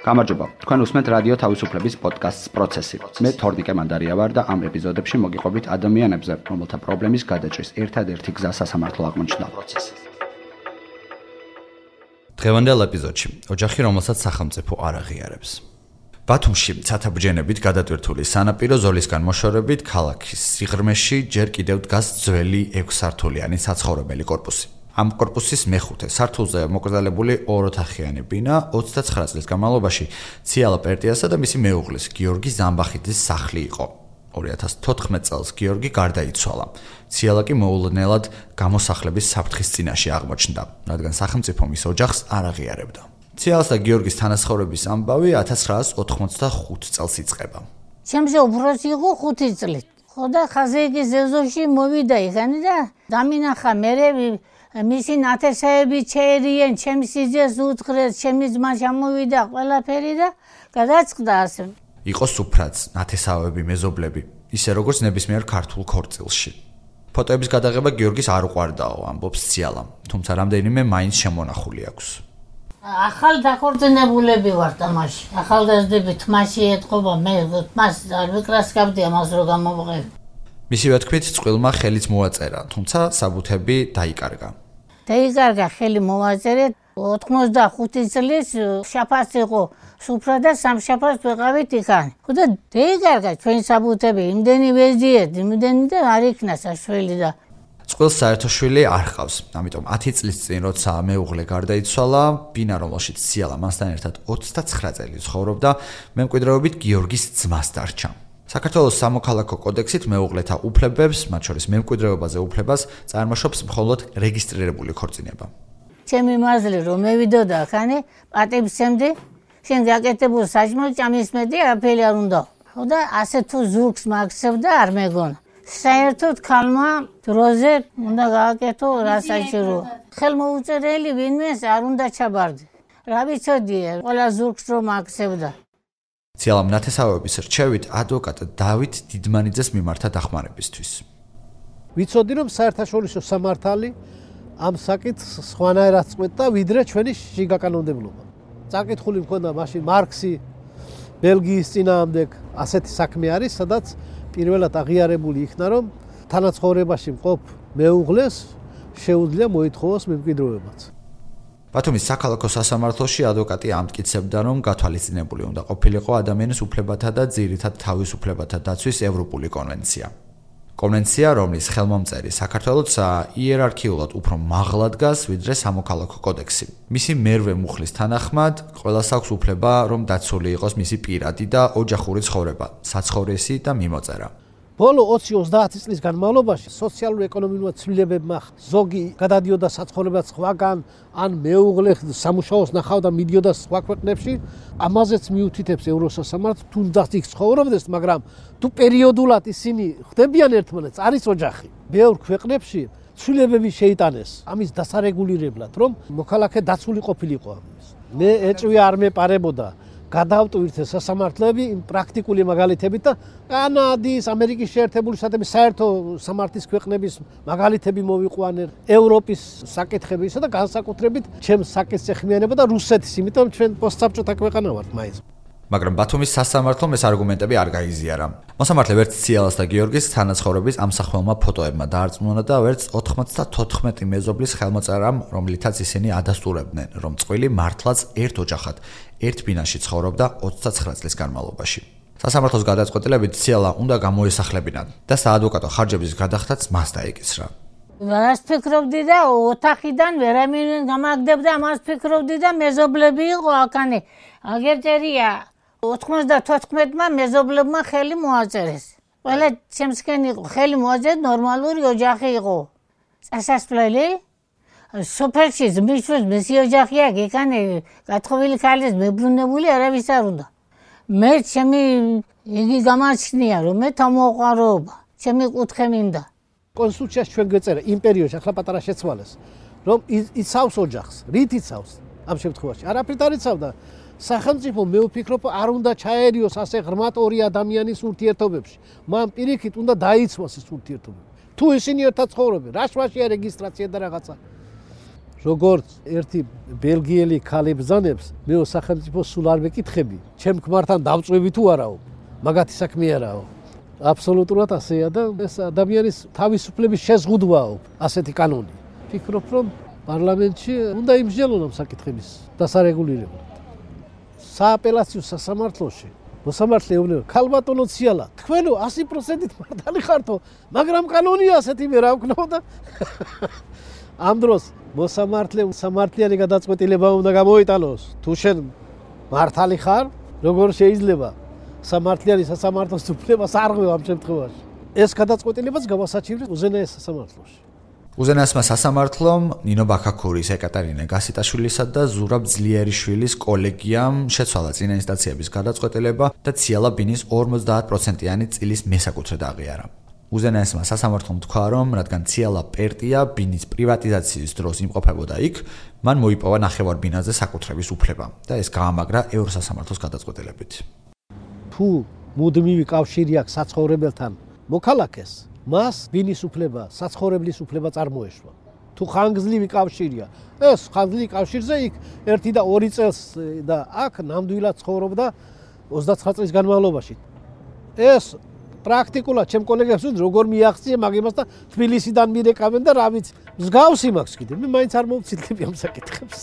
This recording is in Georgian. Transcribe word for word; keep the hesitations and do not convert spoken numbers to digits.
გამარჯობა. თქვენ უსმენთ რადიო თავისუფლების პოდკასტს პროცესი. მე თორნიკე მანდარია ვარ და ამ ეპიზოდებში მოგიყვებით ადამიანებზე, რომელთა პრობლემის გადაჭრის ერთადერთი გზა სასამართლო აღმოჩნდა. დღევანდელ ეპიზოდში ოჯახი, რომელსაც სახელმწიფო არ აღიარებს. ბათუმში ცათაბჯენებით გადატვირთული სანაპირო ზოლისგან მოშორებით ქალაქის სიღრმეში ჯერ კიდევ დგას ძველი ექვსსართულიანი საცხოვრებელი კორპუსი. ამ კორპუსის მეხუთე სართულზე მოკრძალებული ოროთახიანი ბინა ოცდაცხრა წლის განმავლობაში ციალა პერტიასა და მისი მეუღლის გიორგი ზამბახიძის სახლი იყო. ორი ათას თოთხმეტ წელს გიორგი გარდაიცვალა. ციალა კი მოულოდნელად გამოსახლების საფრთხის წინაშე აღმოჩნდა, რადგან სახელმწიფო მის ოჯახს არ აღიარებდა. ციალას და გიორგის თანასხოვრების ამბავი ათას ცხრაას ოთხმოცდახუთ წელს იწყება. ჩემზე უფროსი იყო ხუთი წლით. ხო და ხაზეიკის ზეზოში მოვიდა იქანი და დამინახა მერე მისი ნათესაები ჩერიან, ჩემი სიძეს უთხრეს, ჩემი ძმა ჩამოვიდა, ყველაფერი და გადაწყდა ასე. იყო სუფრაც, ნათესავები, მეზობლები, ისე როგორც ნებისმიერ ქართულ ქორწილში. ფოტოების გადაღება გიორგის არ უყვარდაო, ამბობს ციალა, თუმცა რამდენიმე მაინც შემონახული აქვს. ახალ დაქორწინებულები ვარ თამაში. ახალგაზრდები თმაში ეთყობა, მე თმას არ ვიკრასკავდი ამას რო გამოვყევი. მისივე თქმით, წყვილმა ხელიც მოაწერა, თუმცა საბუთები დაიკარგა. დაიკარგა ხელი მოვაწერე, ოთხმოცდახუთი წლის შაფას იყო სუფრა და სამშაფას ვეყავით იქან. ხო და დაიკარგა ჩვენი საბუთები, იმდენი ვეზიეთ, იმდენი და არ იქნა საშველი და წყვილს საერთო შვილი არ ჰყავს, ამიტომ ათი წლის წინ, როცა მეუღლე გარდაიცვალა, ბინა, რომელშიც ციალა მასთან ერთად ოცდაცხრა წელი ცხოვრობდა, მემკვიდრეობით გიორგის ძმას დარჩა. საქართველოს სამოქალაქო კოდექსით მეუღლეთა უფლებებს, მათ შორის მემკვიდრეობაზე უფლებას, წარმოშობს მხოლოდ რეგისტრირებული ქორწინება. ჩემი მაზლი რომ მევიდოდა ახანე, პატივცემდი, შენ გაკეთებულ საჭმელს ჭამისმედი, არაფერი არ უნდა. ხო და ასე თუ ზურგს მაგსებდა არ მეგონა. საერთოდ ქალმა დროზე უნდა გააკეთო რა საჭირო. ხელმოუწერელი ვინმეს არ უნდა ჩაბარდე. რა ვიცოდია, ყველა ზურგს რომ აქცევდა. ციალამ ნათესავების რჩევით ადვოკატ დავით დიდმანიძეს მიმართა დახმარებისთვის. ვიცოდი რომ საერთაშორისო სამართალი ამ საკითხს სხვანაირად წყვეტდა ვიდრე ჩვენი შიგა კანონმდებლობა. წაკითხული მქონდა მაშინ მარქსი ბელგიის წინააღმდეგ ასეთი საქმე არის, სადაც პირველად აღიარებული იქნა რომ თანაცხოვრებაში მყოფ მეუღლეს შეუძლია მოითხოვოს მემკვიდრეობაც. ბათუმის საქალაქო სასამართლოში ადვოკატი ამტკიცებდა, რომ გათვალისწინებული უნდა ყოფილიყო ადამიანის უფლებათა და ძირითად თავისუფლებათა დაცვის ევროპული კონვენცია. კონვენცია, რომლის ხელმომწერი საქართველოც იერარქიულად უფრო მაღლა დგას, ვიდრე სამოქალაქო კოდექსი. მისი მერვე მუხლის თანახმად, ყველას აქვს უფლება, რომ დაცული იყოს მისი პირადი და ოჯახური ცხოვრება, საცხოვრისი და მიმოწერა. ბოლო ოცი ოცდაათი წლის განმავლობაში სოციალურ-ეკონომიკურ ცვლილებებმა ზოგი გადადიოდა საცხოვრებლად სხვაგან, ან მეუღლე სამუშაოს ნახავდა მიდიოდა სხვა ქვეყნებში, ამაზეც მიუთითებს ევროსასამართლო, თუნდაც იქ ცხოვრობდეს, მაგრამ თუ პერიოდულად ისინი ხდებიან ერთმანეთს, არის ოჯახი. ბევრ ქვეყნებში ცვლილებები შეიტანეს ამის დასარეგულირებლად, რომ მოქალაქე დაცული ყოფილიყო ამის. მე ეჭვი არ მეპარებოდა გადავტვირთე სასამართლოები იმ პრაქტიკული მაგალითებით და კანადის, ამერიკის შეერთებული შტატების საერთო სამართლის ქვეყნების მაგალითები მოვიყვანე, ევროპის საკითხებისა და განსაკუთრებით ჩემს საკითხს ეხმიანება და რუსეთის, იმიტომ ჩვენ პოსტსაბჭოთა ქვეყანა ვართ მაინც. მაგრამ ბათუმის სასამართლომ ეს არგუმენტები არ გაიზიარა. მოსამართლე ვერც ციალას და გიორგის თანაცხოვრების ამსახველმა ფოტოებმა დაარწმუნა და ვერც ოთხმოცდათოთხმეტი მეზობლის ხელმოწერამ, რომლითაც ისინი ადასტურებდნენ, რომ წყვილი მართლაც ერთ ოჯახად, ერთ ბინაში ცხოვრობდა ოცდაცხრა წლის განმავლობაში. სასამართლოს გადაწყვეტილებით ციალა უნდა გამოესახლებინათ და საადვოკატო ხარჯების გადახდაც მას დაეკისრა. რას ფიქრობდი და ოთახიდან ვერამინ გამაგდებდა, მას ფიქრობდი და მეზობლები იყო აქანე. აგერწერია ოთხმოცდათოთხმეტმა მეზობლებმა ხელი მოაწერეს. ყველა ჩემსკენ იყო, ხელი მოაწერეს, ნორმალური ოჯახი იყო. წასასვლელი სოფელში ძმისშვილს მისი ოჯახი აქვს, იქანე გათხოვილი ქალის მებრუნებული არავის არ უნდა. მე ჩემი იგი გამაჩნია, რომ მე თამოყვაროობა, ჩემი კუთხე მინდა. კონსტიტუციაში ჩვენ გვეწერა იმ პერიოდში, ახლა პატარა შეცვალეს, რომ იცავს ოჯახს, რით იცავს ამ შემთხვევაში? არაფრით არ იცავდა. სახელმწიფო მე ვფიქრობ არ უნდა ჩაერიოს ასე ღრმად ორი ადამიანის ურთიერთობებში. მან პირიქით უნდა დაიცვას ეს ურთიერთობები. თუ ისინი ერთად ცხოვრობენ, რა შვაშია რეგისტრაცია და რაღაცა. როგორც ერთი ბელგიელი ქალი ბრძანებს, მე სახელმწიფო სულ არ ვეკითხები, ჩემ ქმართან დავწვევი თუ არაო, მაგათი საქმე არაო. აბსოლუტურად ასეა და ეს ადამიანის თავისუფლების შეზღუდვაო, ასეთი კანონი. ფიქრობ, რომ პარლამენტში უნდა იმსჯელონ ამ საკითხების დასარეგულირებლად. სააპელაციო სასამართლოში მოსამართლე ეუბნება, ქალბატონო ციალა, თქვენო ასი პროცენტით მართალი ხართო, მაგრამ კანონია ასეთი მე რა ვქნო და ამ დროს მოსამართლე სამართლიანი გადაწყვეტილება უნდა გამოიტანოს. თუ შენ მართალი ხარ, როგორ შეიძლება სამართლიანი სასამართლოს უფლებას არღვევ ამ შემთხვევაში. ეს გადაწყვეტილებაც გავასაჩივრეთ უზენაეს სასამართლოში. უზენაესმა სასამართლომ ნინო ბაქაქურის, ეკატერინე გასიტაშვილისა და ზურაბ ძლიერიშვილის კოლეგიამ შეცვალა წინა ინსტანციების გადაწყვეტილება და ციალა ბინის ორმოცდაათ პროცენტიანი წილის მესაკუთრედ აღიარა. უზენაესმა სასამართლომ თქვა, რომ რადგან ციალა პერტია ბინის პრივატიზაციის დროს იმყოფებოდა იქ, მან მოიპოვა ნახევარბინაზე საკუთრების უფლება და ეს გაამაგრა ევროსასამართლოს გადაწყვეტილებით. თუ მუდმივი კავშირი აქვს საცხოვრებელთან მოქალაქეს, მას ბინის უფლება, საცხოვრებლის უფლება წარმოეშვა. თუ ხანგრძლივი კავშირია, ეს ხანგრძლივი კავშირზე იქ ერთი და ორი წელს და აქ ნამდვილად ცხოვრობდა ოცდაცხრა წლის განმავლობაში. ეს პრაქტიკულად ჩემ კოლეგებს ვთქვი, როგორ მიაღწია მაგებას და თბილისიდან მირეკავენ და რა ვიცი, მსგავსი მაქვს კიდე. მე მაინც არ მოვცილდები ამ საკითხებს.